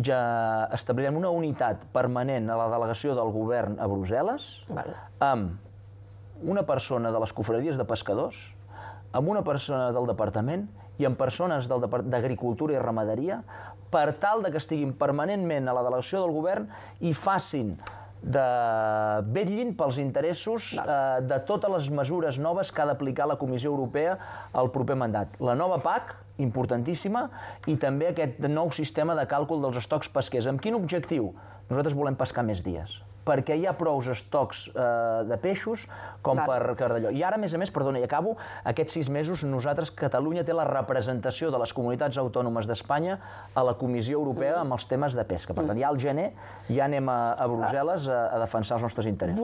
ja establirem una unitat permanent a la delegació del govern a Brussel·les, amb una persona de les confraries de pescadors, amb una persona del departament i amb persones d'agricultura i ramaderia, per tal que estiguin permanentment a la delegació del govern i facin vetllin pels interessos de totes les mesures noves que ha d'aplicar la Comissió Europea al proper mandat. La nova PAC, importantíssima, i també aquest nou sistema de càlcul dels estocs pesquers. Amb quin objectiu? Nosaltres volem pescar més dies, perquè hi ha prou estocs de peixos com per d'allò. I ara, a més, perdona, i acabo, aquests 6 mesos nosaltres, Catalunya té la representació de les comunitats autònomes d'Espanya a la Comissió Europea amb els temes de pesca. Per tant, ja al gener ja anem a Brussel·les a defensar els nostres interessos.